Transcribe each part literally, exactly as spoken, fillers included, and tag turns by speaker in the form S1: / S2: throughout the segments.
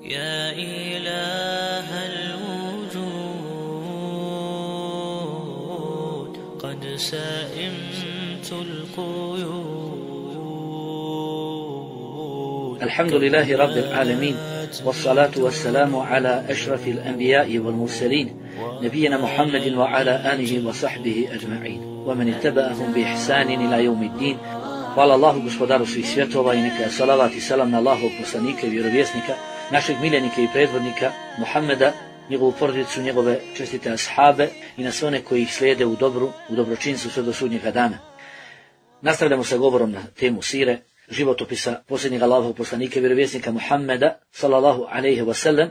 S1: يا إله الوجود قد سئمت القيود.
S2: الحمد لله رب العالمين، والصلاة والسلام على أشرف الأنبياء والمرسلين نبينا محمد وعلى آله وصحبه أجمعين ومن اتبعهم بإحسان إلى يوم الدين. Hvala Allahu, gospodaru svih svjetova, i neka je salavat i salam na Allahovog poslanika i vjerovjesnika, našeg miljenika i predvodnika Muhammeda, njegovu porodicu, njegove čestite ashabe i na sve one koji ih slijede u dobru, u dobročinstvu sve do sudnjega dana. Nastavljamo sa govorom na temu sire, životopisa posljednjeg Allahovog poslanika i vjerovjesnika Muhammeda, sallallahu alejhi ve sellem.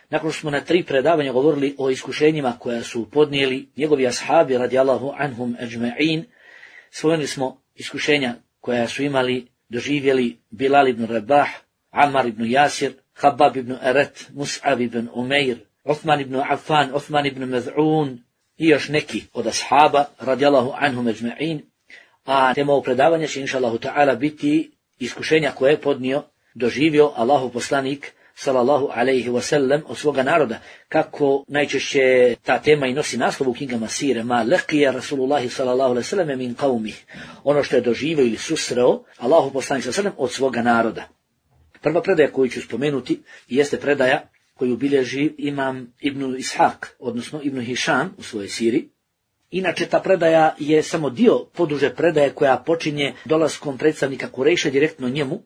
S2: Nakon što smo na tri predavanja govorili o iskušenjima koja su podnijeli njegovi ashabi radijallahu anhum ajma'in, spomenuli smo iskušenja koja su imali, doživjeli Bilal ibn Rabah, Ammar ibn Jasir, Habab ibn Arat, Mus'ab ibn Umair, Uthman ibn Affan, Uthman ibn Maz'un i još neki od ashaba radijallahu anhum ajma'in. A tema ovog predavanja će inšallahu ta'ala biti iskušenja koje je podnio, doživio Allahov poslanik sallallahu alejhi ve sellem od svoga naroda. Kako najčešće ta tema i nosi naslov u knjigama sire, ma laqiya Rasulullahi sallallahu alejhi ve sellem min qaumih, ono što je doživio ili susreo Allahov poslanik sallallahu alejhi ve sellem od svoga naroda. Prva predaja koju ću spomenuti jeste predaja koju bilježi imam Ibn Ishaq, odnosno Ibn Hišam u svojoj siri. Inače, ta predaja je samo dio poduže predaje koja počinje dolaskom predstavnika Kurejša direktno njemu.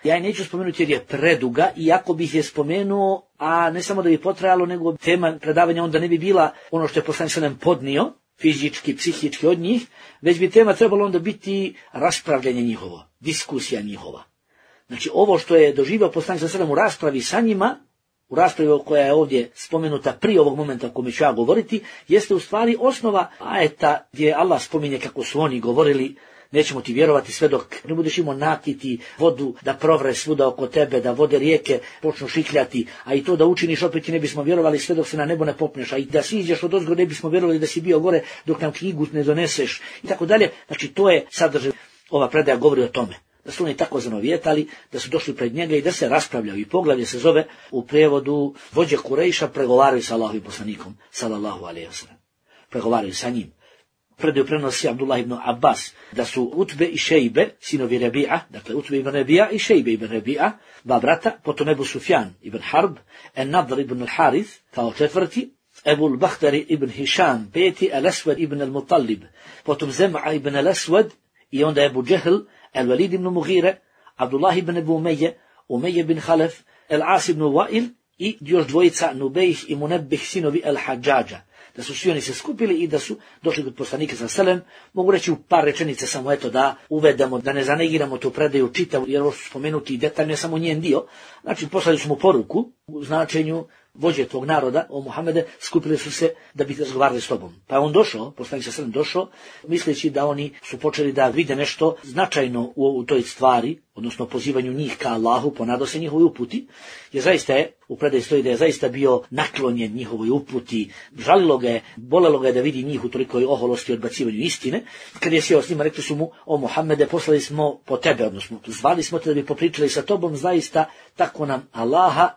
S2: Ja je neću spomenuti jer je preduga, iako bih je spomenuo, a ne samo da bi potrajalo, nego tema predavanja onda ne bi bila ono što je poslanik sallallahu alejhi ve sellem podnio, fizički, psihički od njih, već bi tema trebalo onda biti raspravljanje njihovo, diskusija njihova. Znači, ovo što je doživio poslanik sallallahu alejhi ve sellem u raspravi sa njima, u raspravi koja je ovdje spomenuta prije ovog momenta o kome ću ja govoriti, jeste u stvari osnova ajeta gdje Allah spominje kako su oni govorili: nećemo ti vjerovati sve dok ne budeš imao nakiti vodu da provre svuda oko tebe, da vode rijeke počnu šikljati, a i to da učiniš opet ti ne bismo vjerovali sve dok se na nebo ne popneš, a i da siđeš od ozgo ne bismo vjerovali da si bio gore dok nam knjigu ne doneseš i tako dalje. Znači, to je sadržaj. Ova predaja govori o tome da su oni tako zanovijetali, da su došli pred njega i da se raspravljaju. I poglavlje se zove u prijevodu: vođe Kurejša pregovaraju sa Allahovim poslanikom sallallahu alejhi ve sellem. Pregovaraju sa njim. Predaju prenosi Abdullah ibn Abbas da su Utbe i Šejbe, sinovi Rabi'a, dakle Utbe ibn Rabi'a i Šejbe ibn Rabi'a, dva brata, potom Ebu Sufjan ibn Harb, En-Nadr ibn al-Harith kao četvrti, Ebu al-Bakhtari ibn Hišam peti, Al-Aswad ibn al-Muttalib, potom Zem'a ibn al-Aswad i onda Ebu Džehl, Al-Walid ibn Mughire, Abdullah ibn Ebu Umeje, Umeje ibn Khalaf, Al-As ibn Wa'il i još dvojica Nubejh i Munebbih, sinovi Al-Hadžađa. Da su svi oni se skupili i da su došli kod poslanika sallallahu alejhi ve sellem. Mogu reći u par rečenica samo eto da uvedemo, da ne zanegiramo tu predaju čitavu, jer ovo su spomenuti detaljno, je samo njen dio. Znači, poslali su mu poruku u značenju: vođe tvog naroda, o Muhammede, skupili su se da bi razgovarali s tobom. Pa je on došao, poslanik sallallahu alejhi ve sellem došao, misleći da oni su počeli da vide nešto značajno u, u toj stvari, odnosno pozivanju njih ka Allahu, ponadao se njihovoj uputi, jer zaista je, u predaji stoji da je zaista bio naklonjen njihovoj uputi, žalilo ga je, bolelo ga je da vidi njih u tolikoj oholosti i odbacivanju istine. Kad je sjeo s njima, rekli su mu: o Muhammede, poslali smo po tebe, odnosno zvali smo te da bi popričali sa tobom, zaista tako nam Allaha.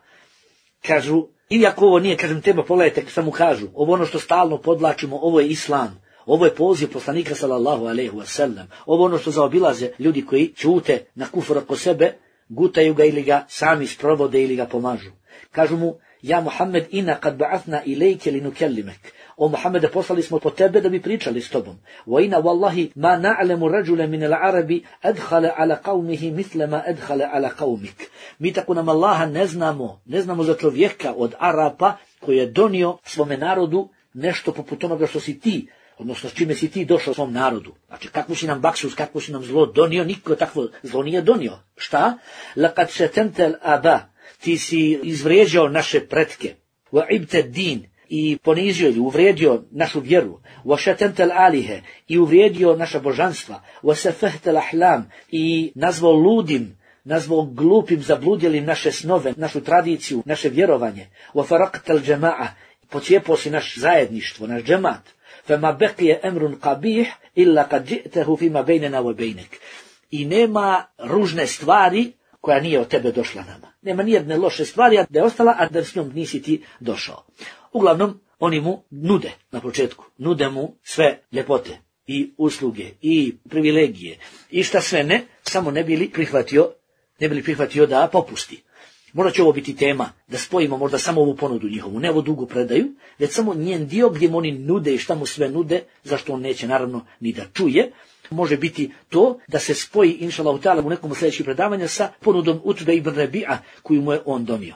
S2: Kažu, iako ovo nije, kažem, tema, pogledajte, samo kažu, ovo ono što stalno podlačimo, ovo je islam, ovo je poziv poslanika sallallahu alejhi ve sellem, ovo ono što zaobilaze ljudi koji ćute na kufr oko sebe, gutaju ga ili ga sami sprovode ili ga pomažu. Kažu mu: ja Muhammed, ina kad ba'athna ilejke li nukellimek, o Muhammede, poslali smo po tebe da bi pričali s tobom. Wa ina wallahi ma na'lemu rajula min al-arabi adkhala ala qaumihi mithla ma adkhala ala qaumik. Mi tako nam Allaha ne znamo, ne znamo za čovjeka od Arapa koji je donio svome narodu nešto poput onoga što si ti, odnosno s čime si ti došao svom narodu. Znači, kakvu si nam baksus, kakvu si nam zlo donio, niko takvo zlo nije donio. Šta? Laqad shatanta al-aba, ti si izvrijeđao naše pretke. Wa ibta din, i ponizio ili uvrijedio našu vjeru. Wa shatanta al-alihe, i uvrijedio naša božanstva. Wa safahta al-ahlam, i nazvao ludim, nazvao glupim, zabludjelim naše snove, našu tradiciju, naše vjerovanje. Wa faraqta al-jama'a, pocijepao si naš zajedništvo, naš džemat. Fama baqiya amrun qabih illa qad ji'tahu fima baynana wa baynak. I nema ružne stvari koja nije od tebe došla nama. nema nijedne loše stvari, a da je ostala, a da s njom nisi ti došao. Uglavnom, oni mu nude na početku, nude mu sve ljepote i usluge i privilegije i šta sve ne, samo ne bili prihvatio, ne bili prihvatio da popusti. Možda će ovo biti tema, da spojimo možda samo ovu ponudu njihovu, ne ovu dugu predaju, već samo njen dio gdje mu oni nude i šta mu sve nude, zašto on neće naravno ni da čuje. Može biti to da se spoji, inšallahu ta'ala, u nekom od sljedećih predavanja sa ponudom Utbe ibn Rabi'a koju mu je on donio.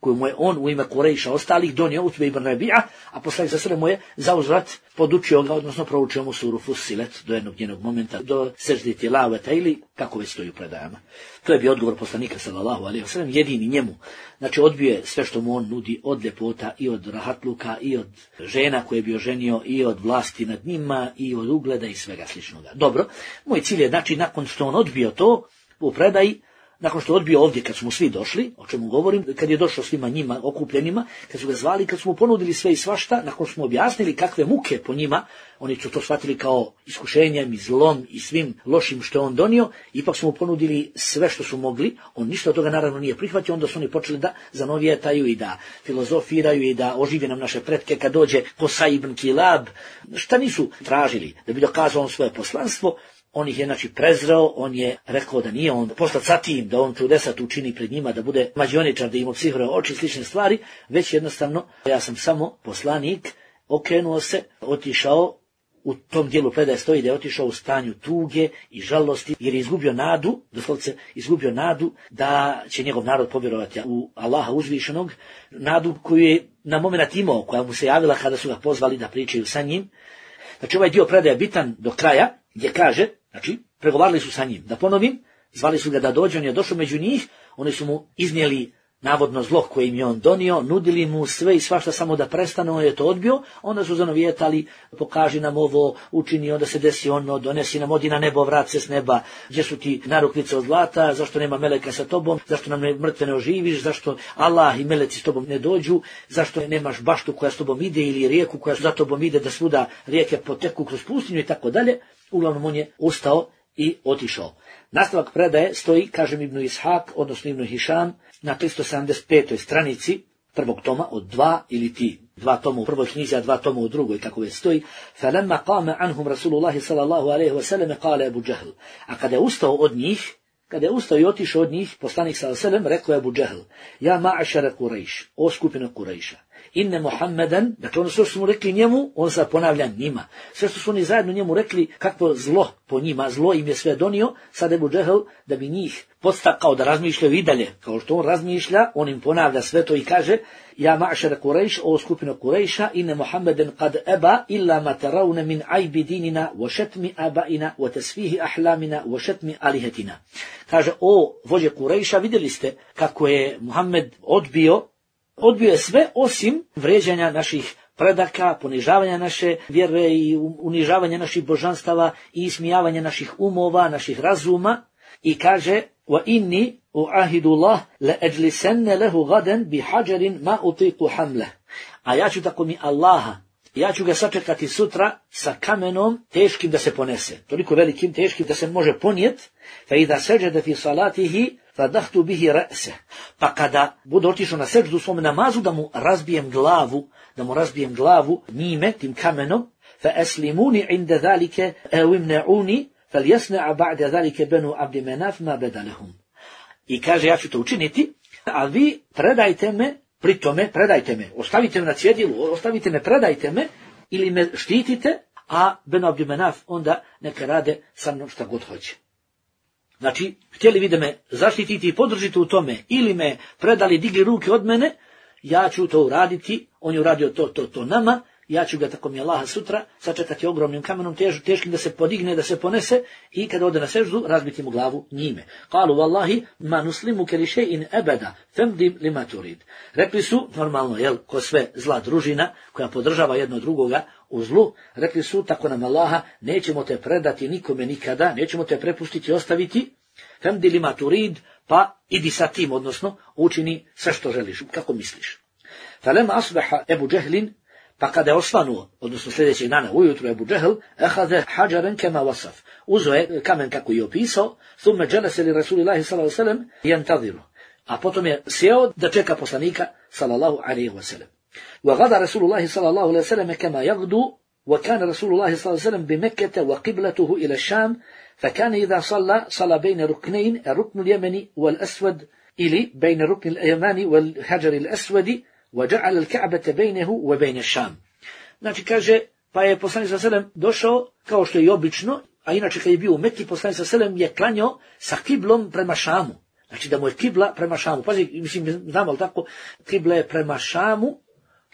S2: koju mu je on u ime Kurejša ostalih donio Utbe ibn Rabi'a, a poslanik sa sebe mu je zauzvrat podučio ga, odnosno proučio mu suru Fussilet do jednog njenog momenta, do seždi tilaveta ili kako već stoji u predajama. To je bio odgovor poslanika sallallahu alejhi ve sellem, jedini njemu. Znači odbio je sve što mu on nudi od ljepota i od rahatluka i od žena koje je bio ženio i od vlasti nad njima i od ugleda i svega sličnoga. Dobro, moj cilj je znači nakon što on odbio to u predaji, nakon što je odbio ovdje kad smo svi došli, o čemu govorim, kad je došao svima njima okupljenima, kad su ga zvali, kad smo mu ponudili sve i svašta, nakon što smo objasnili kakve muke po njima, oni su to shvatili kao iskušenjem i zlom i svim lošim što je on donio, ipak smo mu ponudili sve što su mogli, on ništa od toga naravno nije prihvatio, onda su oni počeli da zanovijetaju i da filozofiraju i da ožive nam naše pretke kad dođe Qusay ibn Kilab, šta nisu tražili, da bi dokazao on svoje poslanstvo. On ih je znači prezreo, on je rekao da nije on poslat sa tim, da on čudesa tu učini pred njima, da bude mađioničar, da im obsihre oči i slične stvari, već jednostavno ja sam samo poslanik, okrenuo se, otišao, u tom dijelu predaje stoji da je otišao u stanju tuge i žalosti, jer je izgubio nadu, doslovce izgubio nadu da će njegov narod povjerovati u Allaha uzvišenog, nadu koju je na moment imao, koja mu se javila kada su ga pozvali da pričaju sa njim. Znači ovaj dio predaje je bitan do kraja, gdje kaže, znači, pregovarali su sa njim. Da ponovim, zvali su ga da dođe, on je došao među njih, oni su mu iznijeli navodno zlo koje im je on donio, nudili mu sve i svašta samo da prestane, on je to odbio, onda su zanovijetali, pokaži nam ovo, učini, onda se desi ono, donesi nam, odi na nebo, vrat se s neba, gdje su ti narukvice od zlata, zašto nema meleka sa tobom, zašto nam ne, mrtve ne oživiš, zašto Allah i meleci s tobom ne dođu, zašto nemaš baštu koja s tobom ide ili rijeku koja za tobom ide da svuda rijeke poteku kroz pustinju i tako dalje. Uglavnom on je ustao i otišao. Nastavak predaje stoji, kažem Ibn Ishaq, odnosno Ibn Hišam, na tristo sedamdeset petoj stranici prvog toma od dva ili ti, dva toma u prvoj knjizi, a dva toma u drugoj, kako već stoji. فَلَمَّا قَامَ عَنْهُمْ رَسُولُ اللَّهِ صَلَى اللَّهُ عَلَيْهِ وَسَلَمَ قَالَ أَبُو جَهْلِ. A kada je ustao od njih, kada je ustao i otišao od njih, poslanik sallallahu alejhi ve sellem rekao je Abu Džehl: Ja ma'ašara Kurejš, o skupina Kurejša, inne Muhammeden, dakle ono što su mu rekli njemu, on sad ponavlja njima. Sve što su oni zajedno njemu rekli, kakvo zlo po njima, zlo im je sve donio, sad Abu Džehl, da bi njih podstakao da razmišljaju i dalje, kao što on razmišlja, on im ponavlja sve to i kaže: Ja ma'ašara Kurejš, o skupina Kurejša, inne Muhammeden kad eba illa ma tarawna min ajbi dinina, wa šetmi abaina, wa tasfihi ahlamina, wa šetmi alihetina. Kaže, o vođe Kurejša, vidjeli ste kako je Muhammed odbio, odbio je sve osim vređanja naših predaka, ponižavanja naše vjere i unižavanja naših božanstava i ismijavanja naših umova, naših razuma, i kaže: Wa inni uahidu Allah la ajlisanna lahu gadan bi hajarin ma utiqu hamle. A ja ću tako mi Allaha, ja ću ga sačekati sutra sa kamenom teškim da se ponese, toliko velikim, teškim da se može ponijet. Fa idha sajada fi salatihi fadahtu bihi ra'se. Pa kada bude otišao na seždu u svom namazu, da mu razbijem glavu, da mu razbijem glavu njime, tim kamenom. Fa aslimuni inda zalike aw imna'uni falyasna'a ba'da zalike banu Abdi Manaf ma bada lahum. I kaže, ja ću to učiniti, a vi predajte me, pri tome predajte me, ostavite me na cjedilu, ostavite me, predajte me, ili me štitite, a Benu Abdi Manaf onda neka rade sa mnom šta god hoće. Znači, htjeli vi da me zaštititi i podržite u tome, ili me predali, digli ruke od mene, ja ću to uraditi, on je uradio to, to, to nama, ja ću ga tako mi Allaha sutra sačekati ogromnim kamenom, tež, teškim da se podigne, da se ponese, i kada ode na seždu, razbiti mu glavu njime. Kalu wallahi ma nuslimu ke li še'in ebeda, femdim lima turid. Rekli su, normalno, jel, ko sve zla družina, koja podržava jedno drugoga u zlu, rekli su, tako nam Allaha, nećemo te predati nikome nikada, nećemo te prepustiti, ostaviti, femdi lima turid, pa idi sa tim, odnosno, učini sve što želiš, kako misliš. Falema asbaha Ebu Džehlin, pa kada je osvanuo, odnosno sljedećeg dana ujutru Ebu Džehl, ehade hađaren kema wasaf. Uzo je kamen kako je opisao, thumme dželese li Rasulillahi sallallahu alejhi ve sellem jentadiru. a potom je sjeo da čeka poslanika sallallahu alejhi ve sellem. Wa gada Rasulullah sallallahu alejhi ve sellem kama yagdu, wa kana Rasulullah sallallahu alejhi ve sellem bi Mekkah wa qiblatuhu ila Sham, fa kana idha salla salla bayna ruknayn, ar-rukn al-yamani wal-aswad ili bayna rukn al-yamani wal-hajar al-aswad, wa ja'ala al-Ka'bata baynahu wa bayna Sham. Znači kaže, pa je poslanik sallallahu alejhi ve sellem došao kao što je i obično, a inače kad je bio u Mekki, poslanik sallallahu alejhi ve sellem je klanjao sa kiblom prema Šamu. Znači da mu je kibla prema Šamu. Pazi, mislim, znamo, ali tako, kibla je prema Šamu,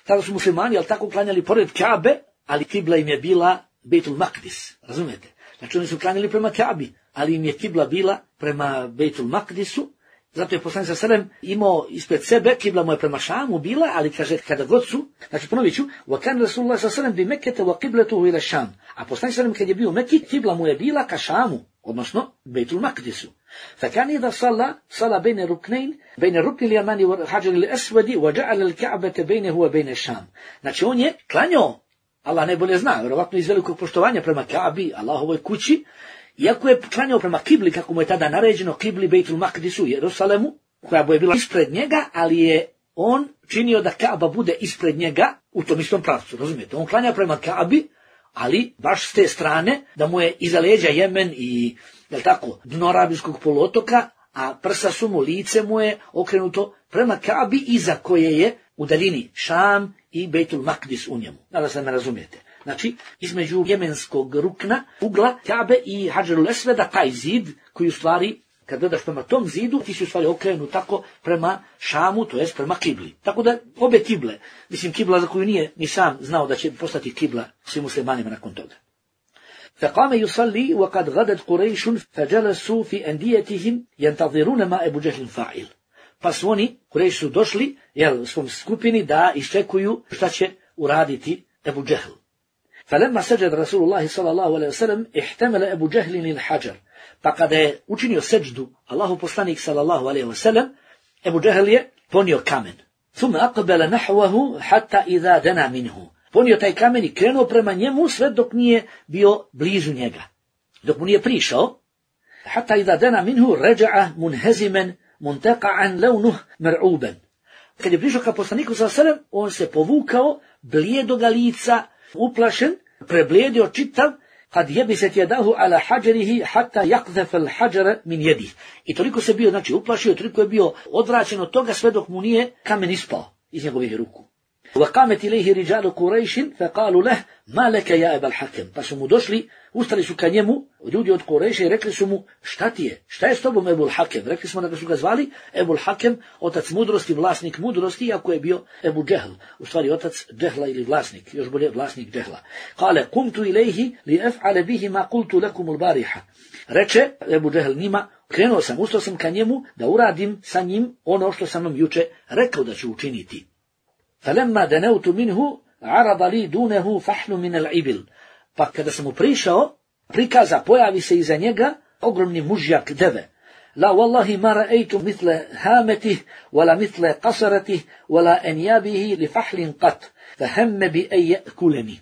S2: tada su muslimani, ali tako, klanjali pored Kabe, ali kibla im je bila Bejtul Makdis, razumijete? Znači oni su klanjali prema Kabi, ali im je kibla bila prema Bejtul Makdisu, zato je poslanik sallallahu alejhi ve sellem imao ispred sebe, kibla mu je prema Šamu bila, ali kaže, kada god su, znači ponovit ću, wa kana Rasulullah sallallahu alejhi ve sellem bi Mekkete wa qiblatuhu ila Šam, a poslanik sallallahu alejhi ve sellem kad je bio u Mekki, kibla mu je bila ka Šamu, odnosno Bejtul Makdisu. فكان إذا صلى صلى بين الركنين بين الركن اليماني والحجر الأسود وجعل الكعبة بينه وبين الشام. Znači on je klanjao, Allah najbolje zna, vjerovatno iz velikog poštovanja prema Kabi, Allahovoj kući, iako je klanjao prema kibli, kako mu je tada naređeno, kibli Bejtul Makdisu, Jerusalemu, koja je bila ispred njega, ali je on činio da Kaaba bude ispred njega u tom istom pravcu, razumijete? On klanja prema Kabi, ali baš s te strane, da mu je iza leđa Jemen i, jel tako, dno Arabijskog poluotoka, a prsa su mu, lice mu je okrenuto prema Kabi, iza koje je u daljini Šam i Bejtul Makdis u njemu. Nadam se da me razumijete. Znači, između jemenskog rukna, ugla, Kabe i Hadžerul Esveda, taj zid koji u stvari, kad gledaš prema tom zidu, ti si u stvari okrenut tako prema Šamu, to jest prema kibli. Tako da obe kible, mislim kibla za koju nije ni sam znao da će postati kibla svim muslimanima nakon toga. فقام يصلي وقد غدت قريش فجلسوا في أنديتهم ينتظرون ما أبو جهل فاعل. Pa su oni, Kurejši su došli, jel, u svom skupini da iščekuju šta će uraditi Ebu Džehl. فلما سجد رسول الله صلى الله عليه وسلم احتمل أبو جهل الحجر. Pa kada je učinio seđdu Allahu poslanik sallallahu alejhi ve sellem, Ebu Džehl je ponio kamen. ثم أقبل نحوه حتى إذا دنا منه. Ponio taj kamen i krenuo prema njemu sve dok nije bio blizu njega. Dok mu nije prišao, حتى إذا دنا منه رجع منهزما منتقعا لونه مرعوبا. Kad je prišao ka poslaniku sallallahu alejhi ve sellem, on se povukao, blijedoga lica, uplašen, preblijedio čitav, kad jebiset jedahu ala hađerihi hatta yakdhaf al hađara min jedih. I toliko se bio, znači, uplašio, toliko je bio odvraćen od toga sve dok mu nije kamen ispao iz njegovih ruku. وقامت إليه رجال قريش فقالوا له ما لك يا أبا الحكم. Pa su mu došli, ustali su ka njemu ljudi od Kurejša i rekli su mu, šta ti je, šta je s tobom Ebul Hakem? Rekli smo da su ga zvali Ebul Hakem, otac mudrosti, vlasnik mudrosti, iako je bio Ebu Džehl, u stvari otac Džehla ili vlasnik, još bolje vlasnik Džehla. Kale, kumtu ilaihi li ef'ale bihi ma kultu lakum al-bariha. Reče Ebu Džehl njima, krenuo sam, ustao sam ka njemu da uradim sa njim ono što sam vam juče rekao da ću učiniti. فَلَمَّا دَنَوْتُ مِنْهُ عَرَضَ لِي دُونَهُ فَحْلُ مِنَ الْعِبِلِ. Pa kada sam mu prišao, prikaza, pojavi se iza njega ogromni mužjak deve. La wallahi ma ra'aytu mithla hamatihi wala mithla qasaratihi wala anyabihi li fahlin qat fahamma bi an ya'kulani.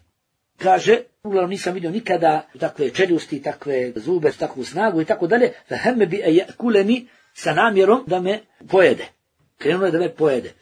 S2: Kaže, uglavnom nisam vidio nikada takve čeljusti, takve zube, takvu snagu i tako dalje. Fahamma bi an ya'kulani, sa namjerom da me pojede. Krenuo je da me pojede.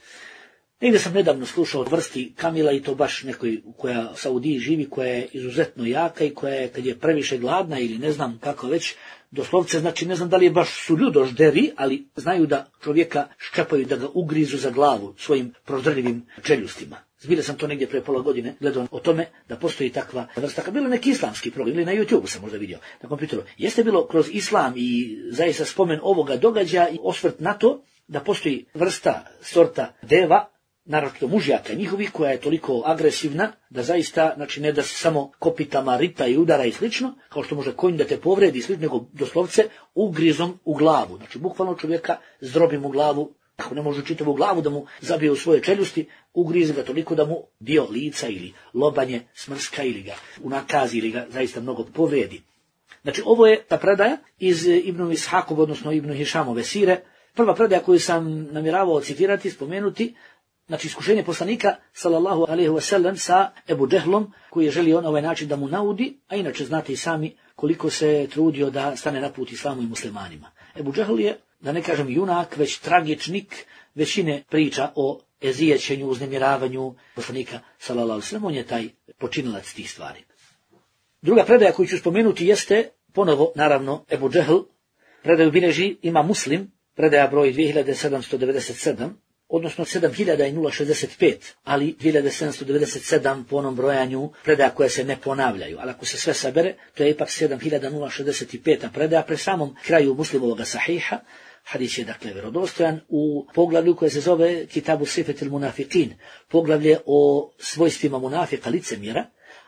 S2: Negdje sam nedavno slušao od vrsti kamila i to baš nekoj koja u Saudiji živi, koja je izuzetno jaka i koja je, kad je previše gladna ili ne znam kako već, doslovce, znači ne znam da li je baš su ljudožderi, ali znaju da čovjeka ščepaju, da ga ugrizu za glavu svojim prozdrljivim čeljustima. Zbilja sam to negdje pre pola godine gledao o tome da postoji takva vrsta, kad bilo neki islamski program, ili na YouTubeu sam možda vidio, na kompjuteru. Jeste bilo kroz islam i zaista spomen ovoga događaja i osvrt na to da postoji vrsta, sorta deva, naravno mužjaka njihovih, koja je toliko agresivna da zaista, znači ne da se samo kopitama rita i udara i slično, kao što može konj da te povredi i slično, nego doslovce ugrizom u glavu. Znači bukvalno čovjeka zdrobim u glavu, ako ne može čitavu glavu da mu zabije u svoje čeljusti, ugrize ga toliko da mu dio lica ili lobanje smrska ili ga unakazi ili ga zaista mnogo povredi. Znači ovo je ta predaja iz Ibnu Ishakov, odnosno Ibnu Hišamove sire. Prva predaja koju sam namjeravao citirati, spomenuti, znači iskušenje poslanika sallallahu alejhi ve sellem sa Ebu Džehlom, koji je želio na ovaj način da mu naudi, a inače znate i sami koliko se trudio da stane na put islamu i muslimanima. Ebu Džehl je da ne kažem junak, već tragičnik većine priča o ezijećenju, uznemiravanju poslanika sallallahu alejhi ve sellem. On je taj počinilac tih stvari. Druga predaja koju ću spomenuti jeste ponovo, naravno, Ebu Džehl. Predaju bilježi ima Muslim, predaja broj dvije hiljade sedamsto devedeset sedam, odnosno sedam hiljada šezdeset pet, ali dvije hiljade sedamsto devedeset sedam po onom brojanju predaja koje se ne ponavljaju. Ali ako se sve sabere, to je ipak sedam hiljada šezdeset pet predaja pre samom kraju Muslimovog sahiha. Hadis je dakle vjerodostojan u poglavlju koje se zove Kitabu Sifetil Munafiqin, poglavlje o svojstvima munafika, licemjera,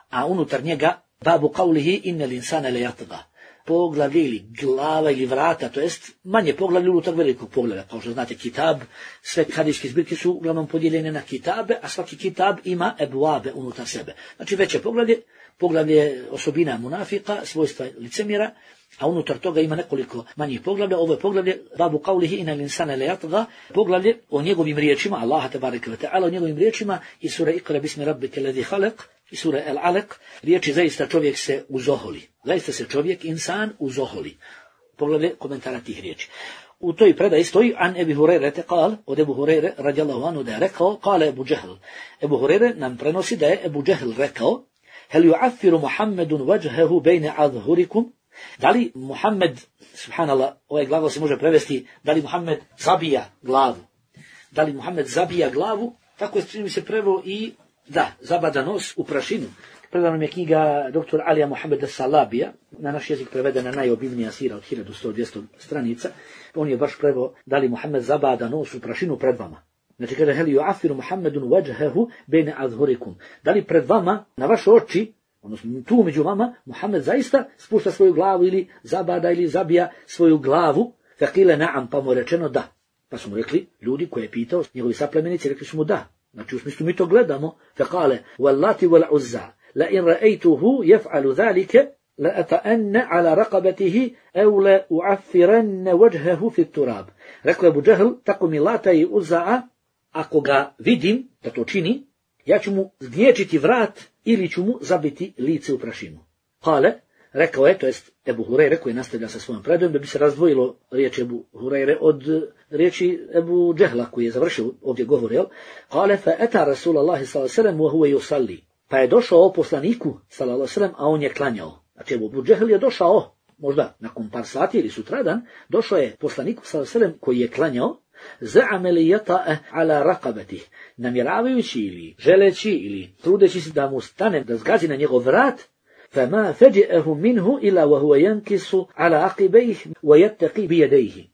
S2: a unutar njega babu qawlihi innal insana layatgha. Poglavlje ili glava ili vrata, to jest manje poglavlje unutar velikog poglavlja. Kao što znate, kitab, sve hadijske zbirke su uglavnom podijeljene na kitabe, a svaki kitab ima ebuabe unutar sebe. Znači veće poglavlje, poglavlje osobina munafika, svojstva licemjera, a unutar toga ima nekoliko manjih poglavlja. Ovo je poglavlje babu qawlihi innal insana layatgha, poglavlje o njegovim riječima, Allaha tebareke ve taala, o njegovim riječima iz sure Iqra bismi rabbike ladzi khalaq, i sure El-Alaq, riječi zaista čovjek se uzoholi. Zaista se čovjek, insan, uzoholi. Poglavlje komentara tih riječi. U toj predaji stoji an Ebi Hureyre te kal, od Ebu Hureyre radijallahu anhu da je rekao, kale Ebu Džehl. Ebu Hureyre nam prenosi da je Ebu Džehl rekao, hel yu'affiru Muhammedun vajhehu bejne adhurikum, da li Muhammed, subhanallah, ovaj glagol se može prevesti, da li Muhammed zabija glavu. Da li Muhammed zabija glavu, tako je čini mi se preveo i da, zabada nos u prašinu. Predana nam je knjiga doktor Alija Mohameda Salabija, na naš jezik prevedena najobimnija sira od hiljadu sto do dvjesto stranica. On je baš preveo da li Muhammed zabada nos u prašinu pred vama. Znači kaže, hel yu'affiru Muhammedun vajhehu bejne adhurikum. Da li pred vama, na vaše oči, odnosno tu među vama, Muhammed zaista spušta svoju glavu ili zabada ili zabija svoju glavu. Faqile na'am, pa mu je rečeno da. Pa su mu rekli, ljudi koje je pitao, njegovi saplemenici, rekli su mu da. Znači u smislu mi to gledamo. Faqale, wallati wal uzza, la in ra'aytuhu yaf'alu dhalika, la ata'anna ala raqabatihi, aw la u'affiranna wajhahu fi turab. Rekao je Abu Džehl, tako mi Lata i Uzza, ako ga vidim da to čini, ja ću mu zgnječiti vrat ili ću mu zabiti lice u prašinu. Kale, rekao je, to jest Ebu Hureyre koji nastavlja sa svojom predajom, da bi se razdvojilo riječi Ebu Hureyre od riječi Ebu Džehla koji je završio ovdje govor, jel? Kale, fa eta Rasulallahi sallallahu alejhi ve sellem wa huwa yusalli. Pa je došao poslaniku sallallahu alejhi ve sellem, a on je klanjao. Znači Ebu Džehl je došao, možda nakon par sati ili sutradan, došao je poslaniku sallallahu alejhi ve sellem koji je klanjao, za'ama li yata'a ala raqabatihi, namjeravajući ili želeći ili trudeći se da mu stane, da zgazi na njegov vrat, فما فجأه منه إلا وهو ينكس على عقبيه ويتقي بيديه.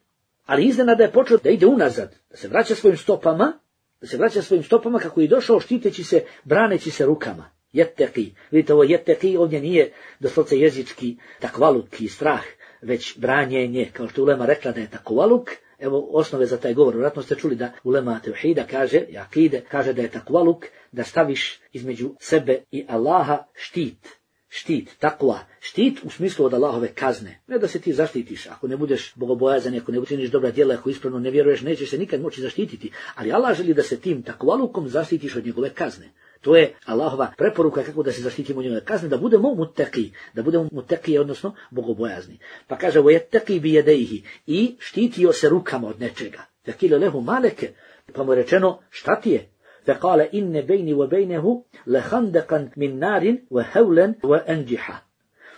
S2: Ali iznenada je počeo da ide unazad, da se vraća svojim stopama, da se vraća svojim stopama kako je došao štiteći se, braneći se rukama. Jetteki. Vidite, ovo jetteki ovdje nije doslovce jezički takvaluk i strah, već branjenje, kao što je ulema rekla da je takvaluk. Evo osnove za taj govor. Vjerojatno ste čuli da ulema tevhida kaže, i akide, kaže da je takvaluk, da staviš između sebe i Allaha štit. Štit, takva, štit u smislu od Allahove kazne. Ne da se ti zaštitiš, ako ne budeš bogobojazan, ako ne učiniš dobra djela, ako ispravno ne vjeruješ, nećeš se nikad moći zaštititi. Ali Allah želi da se tim takvalukom zaštitiš od njegove kazne. To je Allahova preporuka kako da se zaštitimo od njegove kazne, da budemo mutaki, da budemo mutaki, odnosno bogobojazni. Pa kaže, وَيَتَّقِي بِيَدَيْهِ i štitio se rukama od nečega. فَقِيلَ لَهُ مَالَكَ pa mu je rečeno, šta ti je? فقال إن بيني وبينه لخندقا من نار وهولا وأنجحا.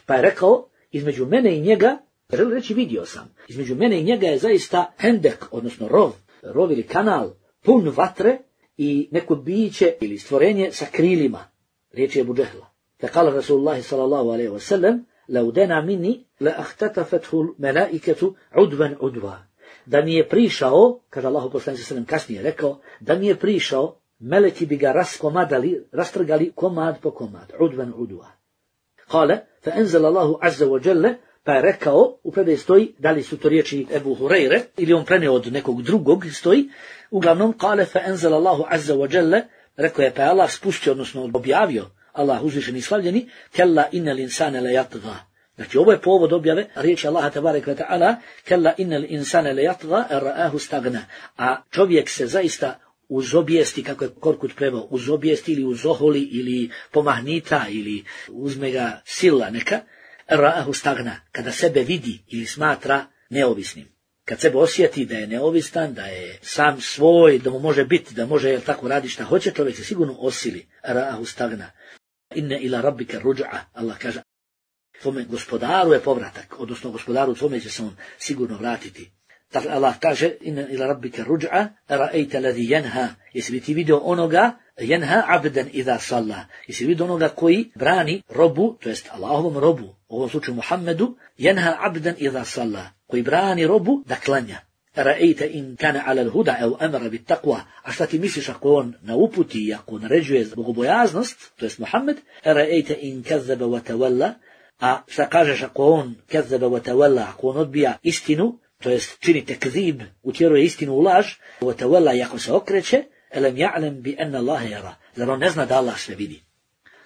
S2: Pa je rekao, između mene i njega, želi reći vidio sam, između mene i njega je zaista hendek, odnosno rov, rov ili kanal, pun vatre i neko biće ili stvorenje sa krilima. Riječ je Abu Džehla. Faqala Rasulullah sallallahu alejhi ve sellem, لو دنا مني لأختطفته الملائكة عدوا عدوا. Da mi je prišao, kaže Allahu poslanik sallallahu alejhi ve sellem kasnije rekao, da mi je prišao, meleki bi ga raskomadali, rastrgali komad po komad, udvan udva. Kale, fa enzela Allahu azza wa jalla, pa je rekao, u predaji stoji, da li su to riječi Ebu Hureyre, ili on preneo od nekog drugog, stoji, uglavnom, kale, fa enzela Allahu azza wa jalla, rekao je, pa je Allah spustio, odnosno objavio, Allah uzvišeni i slavljeni, kella innal insane la yatgha. Znači, ovo je povod objave riječi Allaha tabaraka wa ta'ala, kella innal insane la yatgha, er ra'ahu stagna. A čovjek se zaista uz obijesti, kako je Korkut preveo, uz obijesti ili uz oholi ili pomahnita ili uzme ga sila neka, ra'ahu stagna, kada sebe vidi ili smatra neovisnim. kad sebe osjeti da je neovistan, da je sam svoj, da mu može biti, da može jel, tako raditi šta hoće, čovjek se sigurno osili. Ra'ahu stagna. Inne ila rabbika ruj'a. Allah kaže, tvome gospodaru je povratak, odnosno gospodaru tvome će se on sigurno vratiti. Dakle, Allah kaže, inne ila rabbika ruj'a, ra'ejta ladhi jenha. Jesi li ti vidio onoga, jenha abdan idha salla. Jesi li vidio onoga koji brani robu, to jest Allahovom robu, u ovom slučaju Muhammedu, jenha abdan idha salla. Koji brani robu da klanja. Ra'ejta in kana ala al-huda au amara bit taqwa. A šta ti misliš ako on na uputi i ako naređuje bogobojaznost, to jest Muhammed, ra'ejta in kazzaba wa tawalla. A šta kažeš ako on kazzaba wa tawalla, ako on odbija istinu, to jest čini tekzib, utjeruje istinu u laž, wa tawalla i ako se okreće, elem ja'lem bi anna Allaha yara. Zar on ne zna da Allah sve vidi?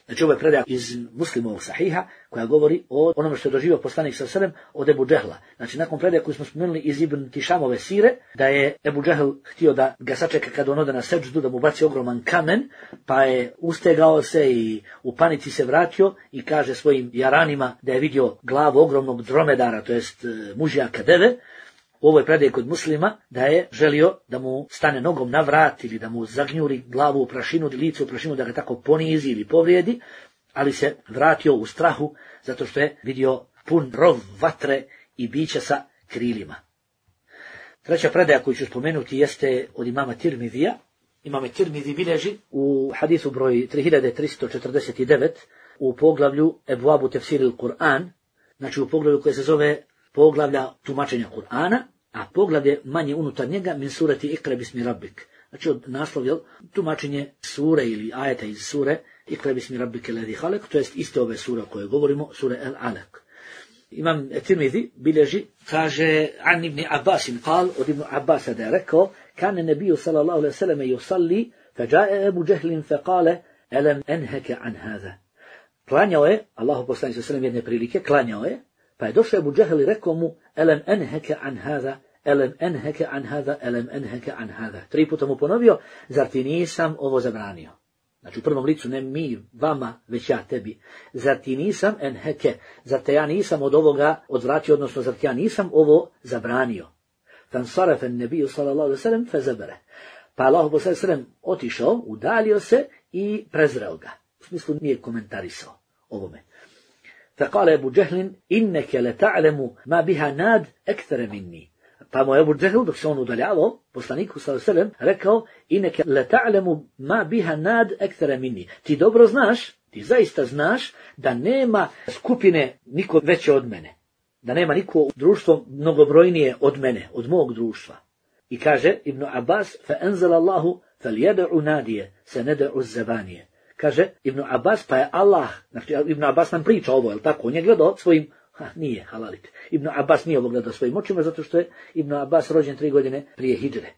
S2: Znači ovo je predaja iz Muslimovog sahiha koja govori o onome što je doživio poslanik sallallahu alejhi ve sellem od Ebu Džehla. Znači nakon predaje koju smo spomenuli iz Ibn Tišamove sire, da je Ebu Džehl htio da ga sačeka kada on ode na seđdu, da mu baci ogroman kamen, pa je ustegao se i u panici se vratio i kaže svojim jaranima da je vidio glavu ogromnog dromedara, to jest mužjaka deve. U ovoj predaji kod Muslima da je želio da mu stane nogom na vrat ili da mu zagnjuri glavu u prašinu, lice u prašinu, da ga tako ponizi ili povrijedi, ali se vratio u strahu zato što je vidio pun rov vatre i bića sa krilima. Treća predaja koju ću spomenuti jeste od imama Tirmidija. Imam Tirmidi bilježi u hadisu broj tri hiljade tristo četrdeset devet u poglavlju Ebvabu tefsiril Kur'an, znači u poglavlju koje se zove poglavlja tumačenja Kur'ana, a poglavlje manje unutar njega min surati Ikra bismi rabbik. Znači od naslovlja tumačenje sure ili ajeta iz sure Ikra bismi rabbike ladhi halak, to jest iste ove sure o kojoj govorimo, sure El Alak. Imam Tirmidi bilježi, kaže an ibn Abbasin kal, od ibn Abbasa da je rekao, kane nebiju sallallahu alaihi sallam yusalli, fajae Ebu Džehlin fekale, elem enheke an hada. Klanjao je, Allahu poslanik sallallahu alaihi sallam jedne prilike, klanjao je, pa je došao Ebu Džehl i rekao mu, elem enheke an hada, elem enheke an hada, elem enheke an hada. Tri puta mu ponovio, zar ti nisam ovo zabranio? Znači u prvom licu, ne mi, vama, već ja tebi. Zar ti nisam enheke, zar te ja nisam od ovoga odvratio, odnosno zar ti ja nisam ovo zabranio? Fansarafe nebiju sallallahu alaihi sallam fezabere. Pa Allah sallallahu sallam otišao, udalio se i prezreo ga. U smislu nije komentarisao ovome. فقال أبو جهل إنك لتعلم ما بها ناد أكثر مني. Pa mu je Ebu Džehl, dok se on udaljavao, poslaniku sallallahu alejhi ve sellem, rekao, ineke la ta'lemu ma biha nad ekthara minni. Ti dobro znaš, ti zaista znaš da nema skupine niko veće od mene. Da nema niko društvo mnogobrojnije od mene, od mog društva. I kaže Ibn Abbas, fa enzala Allahu fal yad'u nadije, se ned'u zabanije. Kaže Ibn Abbas, pa je Allah, znači Ibn Abbas nam priča ovo, je li tako? On je gledao svojim, ha, nije halalite. Ibn Abbas nije ovo gledao svojim očima, zato što je Ibn Abbas rođen tri godine prije hidžre.